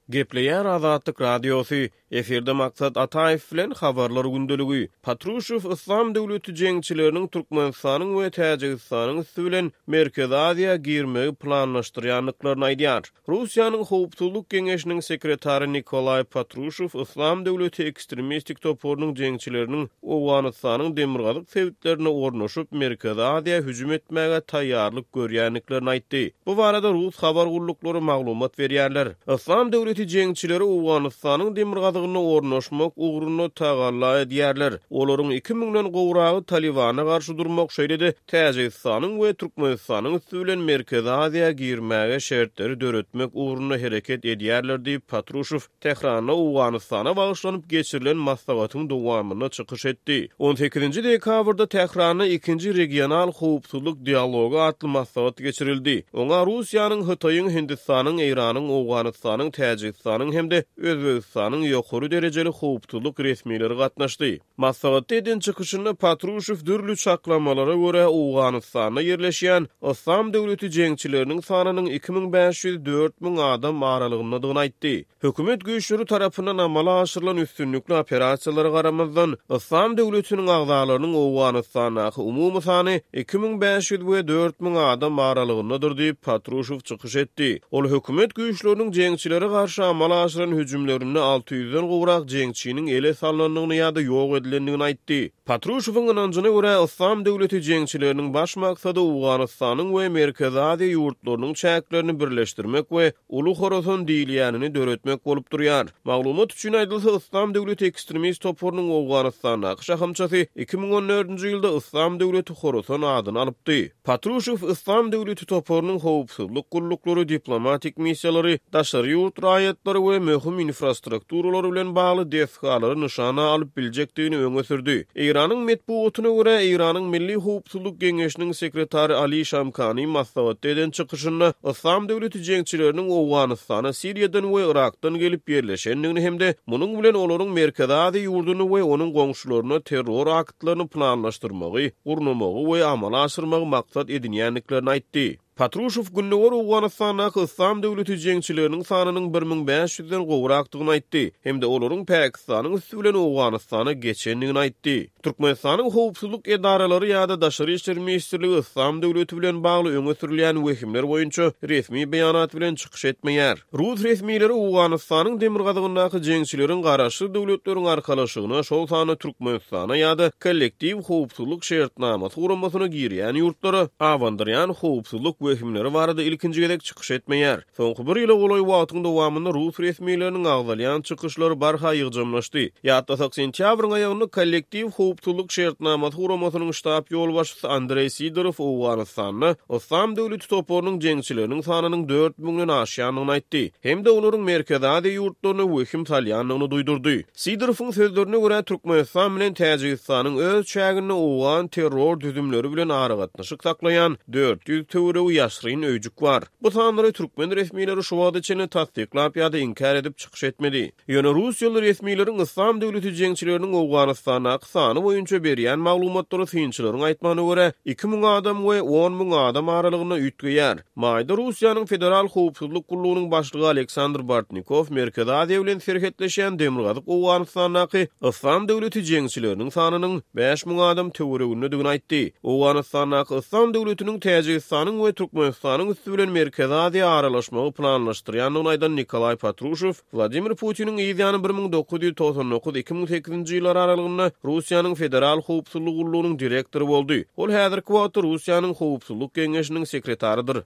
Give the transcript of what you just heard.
Gepleýär Azatlyk Radiosy, Efirde Maksat Ataýew bilen Habarlar gündeligi. Patruşew Yslam döwleti jeňçileriniň Türkmenistanyň we Täjigistanyň üsti bilen Merkezi Aziýa girmegi planlaşdyrýandyklaryny aýdýar. Russiýanyň Howpsuzlyk geňeşiniň sekretary Nikolaý Patruşew Yslam döwleti ekstremistik toparynyň jeňçileriniň Owganystanyň demirgazyk sebitlerine ornaşyp, Merkezi Aziýa hüjüm etmäge taýýarlyk görýändiklerini aýtdy. Bu barada rus habar gulluklary maglumat berýärler. Yslam döwleti jeňçileri Owganystanyň demirgazygynda ornaşmak ugrunda tagalla edýärler. Olaryň iki müňden gowragy Talybana garşy durmak, şeýle-de Täjigistanyň we Türkmenistanyň üsti bilen Merkezi Aziýa girmäge şertleri döretmek ugrunda hereket edýärler diýip, Patruşew Tähranda Owganystana bagyşlanyp geçirilen maslahatyň dowamynda çykyş etdi. On sekizinji dekabrda Tähranda ikinji regional howpsuzlyk dialogy atly maslahat geçirildi. Oňa Russiýanyň, Hytaýyň, Hindistanyň, Eýranyň, Owganystanyň, Täjigistanyň hem-de Özbegistanyň ýokary derejeli howpsuzlyk resmileri gatnaşdy. Maslahatda eden çykyşynda Patruşew dürli çaklamalara görä Owganystanda ýerleşýän Yslam döwleti jeňçileriniň sanynyň 2500-4000 adam aralygyndadygyny aýtdy. Hökümet güýçleri tarapyndan amala aşyrylan üstünlikli operasiýalara garamazdan, Yslam döwletiniň agzalarynyň Owganystandaky umumy sany 2500 we 4000 adam aralygyndadyr diýip, Patruşew çykyş etdi. Ol hökümet güýçleriniň jeňçilere garşy amala aşyran hüjümlerinde 600-den gowrak jeňçiniň ele salnandygyny ýa-da ýok edilendigini aýtdy. Patruşewiň ynanjyna görä, Yslam döwleti jeňçileriniň baş maksady Owganystanyň we Merkezi Aziýa ýurtlarynyň çäklerini birleşdirmek we Uly Horasan diýilýänini döretmek bolup durýar. Maglumat üçin aýdylsa, Yslam döwleti ekstremist toparynyň Owganystandaky şahamçasy 2014-nji ýylda Yslam döwleti Horasan adyny alypdy. Patruşew Yslam döwleti toparynyň howpsuzlyk gulluklary, diplomatik missiýalary, daşary ýurt raýatlary we möhüm infrastrukturalary bilen bagly desgalary nyşana alyp biljekdigini öňe sürdi. Eýranyň metbugatyna görä, Eýranyň Milli howpsuzlyk geňeşiniň sekretary Ali Şamkani maslahatda eden çykyşynda Yslam döwleti jeňçileriniň Owganystana Siriýadan we Yrakdan gelip ýerleşendigini hem-de munuň bilen olaryň Merkezi Aziýa ýurduny we onuň goňşularyna terror aktlaryny planlaşdyrmagy, gurnamagy we amala aşyrmagy maksat edinýändiklerini aýtdy. Patruşew Gündogar Owganystandaky Yslam döwleti jeňçileriniň sanynyň 1500 den gowrakdygyny aýtdy hem-de olaryň Pakistanyň üsti bilen Owganystana geçendigini aýtdy. Türkmenistanyň howpsuzlyk edaralary ýa-da Daşary işler ministrligi Yslam döwleti bilen bagly öňe sürülýän wehimler boýunça resmi beýanat bilen çykyş etmeýär. Rus resmileri Owganystanyň demirgazygyndaky jeňçileriň Garaşsyz Döwletleriň Arkalaşygyna, şol sanda Türkmenistana ýa-da Kollektiw howpsuzlyk şertnamasy guramasyna girýän ýurtlara abandyrýan howpsuzlyk wehimleri barada ilkinji gezek çykyş etmeýär. Soňky bir ýyla golaý wagtyň dowamynda rus resmileriniň agzalýan çykyşlary barha ýygjamlaşdy. Ýatlasak, sentýabryň aýagynda Kollektiw howpsuzlyk şertnamasy guramasynyň ştab ýolbaşçysy Andreý Sidorow Owganystanda Yslam döwleti toparynyň jeňçileriniň sanynyň dört müňden aşýandygyny aýtdy hem-de olaryň Merkezi Aziýa ýurtlaryna wehim salýandygyny duýdurdy. Sidorowyň sözlerine görä, Türkmenistan bilen Täjigistanyň öz çäginde owgan terror düzümleri bilen aragatnaşyk saklaýan 400 töweregi ýaşryn öýjük bar. Bu sanlary türkmen resmileri şu wagta çenli tassyklap ýa-da inkär edip çykyş etmedi. Ýöne russiýaly resmileriň Yslam döwleti jeňçileriniň Owganystandaky sany boýunça berýän maglumatlary synçylaryň aýtmagyna görä, 2000 adam we 10,000 adam aralygynda üýtgeýär. Maýda Russiýanyň Federal howpsuzlyk gullugynyň başlygy Aleksandr Bortnikow Merkezi Aziýa bilen serhetleşýän demirgazyk Owganystandaky Yslam döwleti jeňçileriniň sanynyň 5000 adam töweregindedigini aýtdy. Owganystandaky Yslam döwletiniň Täjigistanyň we Türkmenistanyň üsti bilen Merkezi Aziýa aralaşmagy planlaşdyrýandygyny aýdan Nikolaý Patruşew, Wladimir Putiniň yz ýany 1999, 2008-nji ýyllar aralygynda Russiýanyň Federal howpsuzlyk gullugynyň direktory boldy. Ol häzirki wagtda Russiýanyň Howpsuzlyk geňeşiniň sekretarydyr.